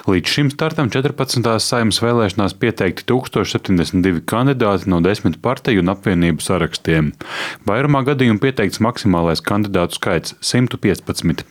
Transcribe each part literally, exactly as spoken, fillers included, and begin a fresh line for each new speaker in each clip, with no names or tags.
Līdz šim startam četrpadsmitās Saeimas vēlēšanās pieteikti tūkstoš septiņdesmit divi kandidāti no desmit partiju un apvienību sarakstiem. Vairumā gadījumu pieteikts maksimālais kandidātu skaits – simt piecpadsmit.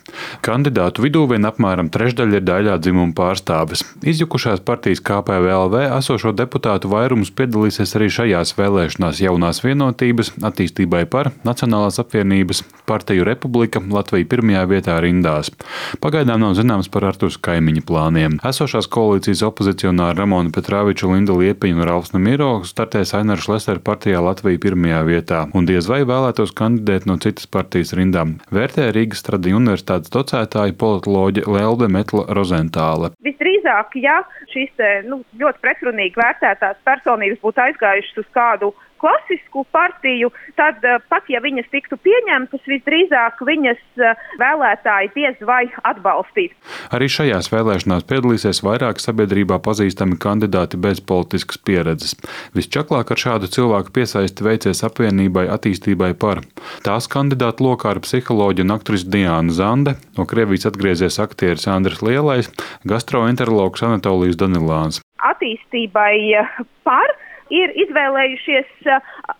Kandidātu vidū vien apmēram trešdaļa ir daļā dzimuma pārstāves. Izjukušās partijas K P V L V esošo deputātu vairums piedalīsies arī šajās vēlēšanās Jaunās vienotības, Attīstībai par, Nacionālās apvienības, Partiju Republika, Latvija pirmajā vietā rindās. Pagaidām nav zināms par Artūra Kaimiņa plāniem. Esošās koalīcijas opozicionāri Ramona Petrāviča, Linda Liepiņa un Ralfs Nemiro startēs Aināra Šlesera partijā Latvija pirmajā vietā un diez vai vēlētos kandidēt no citas partijas rindām, vērtē Rīgas Tradiņu universitātes docētāja politoloģe Lelde Metla Rozentāle.
Visdrīzāk, ja šīs nu, ļoti pretrunīgi vērtētās personības būtu aizgājušas uz kādu klasisku partiju, tad pat ja viņas tiktu pieņemtas, visdrīzāk viņas vēlētāji diez vai atbalstīt.
Arī šajās vēlēšanās piedalīsies vairāk sabiedrībā pazīstami kandidāti bez politiskas pieredzes. Visčaklāk ar šādu cilvēku piesaisti veicies apvienībai Attīstībai par. Tās kandidātu lokā ir psiholoģe un aktrise Diāna Zande, no Krievijas atgriezies aktieris Andris Lielais, gastroenterologs Anatolijs Danilāns.
Attīstībai par ir izvēlējušies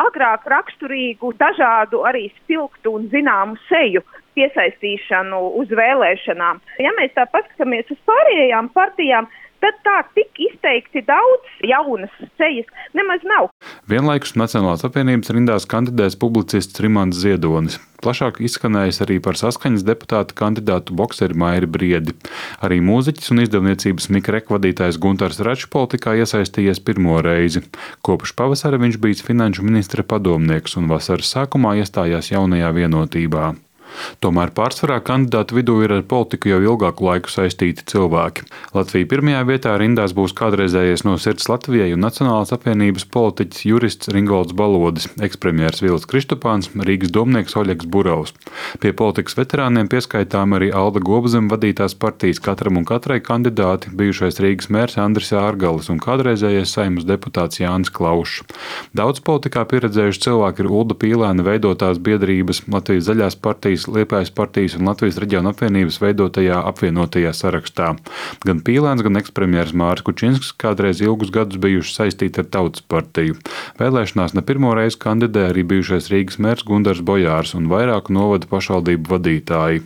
agrāk raksturīgu, dažādu arī spilgtu un zināmu seju piesaistīšanu uz vēlēšanām. Ja mēs tā paskatāmies uz pārējām partijām, tad tā tik izteikti daudz jaunas sejas nemaz nav.
Vienlaikus Nacionālās apvienības rindās kandidēs publicists Rimants Ziedonis. Plašāk izskanējis arī par Saskaņas deputāta kandidātu bokseri Mairi Briedi. Arī mūziķis un izdevniecības Mikrek vadītājs Guntars Račs politikā iesaistījies pirmo reizi. Kopš pavasara viņš bijis finanšu ministra padomnieks un vasaras sākumā iestājās Jaunajā vienotībā. Tomēr pārsvarā kandidātu vidū ir ar politiku jau ilgāku laiku saistīti cilvēki. Latvija pirmajā vietā rindās būs kādreizējais no Sirds Latvijai un Nacionālās apvienības politiķis jurists Ringolds Balodis, ekspremjers Vils Kristupāns, Rīgas domnieks Oļegs Burovs. Pie politikas veterāniem pieskaitām arī Alda Gobzem vadītās partijas Katram un katrai kandidāti, bijušais Rīgas mērs Andris Ārgalis un kādreizējais Saeimas deputāts Jānis Klaušs. Daudz politikā pieredzējuši cilvēki ir Ulda Pīlēna veidotās biedrības, Latvijas zaļās partijas, Liepājas partijas un Latvijas reģiona apvienības veidotajā apvienotajā sarakstā. Gan Pīlēns, gan ekspremjers Māris Kučinsks kādreiz ilgus gadus bijuši saistīti ar Tautas partiju. Vēlēšanās ne pirmo reizi kandidē arī bijušais Rīgas mērs Gundars Bojārs un vairāku novadu pašvaldību vadītāji.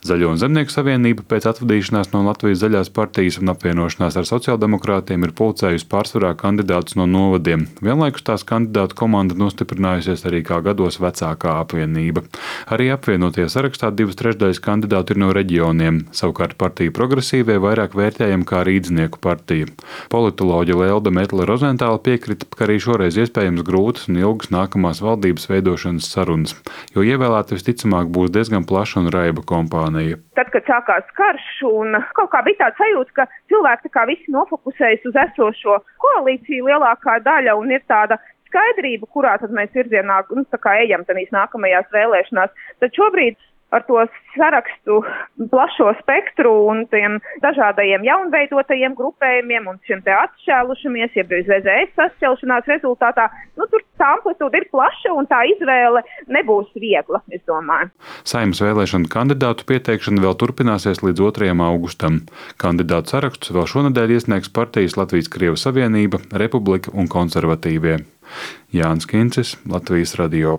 Zaļo un Zemnieku savienība pēc atvadīšanās no Latvijas zaļās partijas un apvienošanās ar sociāldemokrātiem ir pulcējusi pārsvarā kandidātus no novadiem. Vienlaikus tās kandidātu komanda nostiprinājusies arī kā gados vecākā apvienība. Arī apvienotie sarakstā divas trešdaļas kandidātu ir no reģioniem, savukārt partija Progresīvie vairāk vērtējama kā Rīdznieku partija. Politoloģe Lelde Metla Rozentāle piekrita, ka arī šoreiz iespējams grūtas un ilgas nākamās valdības veidošanas sarunas, jo ievēlēta visticamāk būs diezgan plaša un raiba kompānija.
Tad, kad sākās karš un kaut kā bija tāds sajūta, ka cilvēki tā kā visi nofokusējas uz esošo koalīciju lielākā daļa un ir tāda skaidrība, kurā tad mēs virzienā nu, tā kā ejam tādīs nākamajās vēlēšanās. Tad šobrīd ar to sarakstu plašo spektru un tiem dažādajiem jaunveidotajiem grupējumiem un šiem te atšķēlušamies, jeb Z Z S sašķelšanās rezultātā, nu tur tā amplitūda ir plaša un tā izvēle nebūs viegla, es domāju.
Saeimas vēlēšanu kandidātu pieteikšana vēl turpināsies līdz otrajam augustam. Kandidātu sarakstus vēl šonedēļ iesniegs partijas Latvijas Krievu savienība, Republika un konservatīvie. Jānis Kincis, Latvijas radio.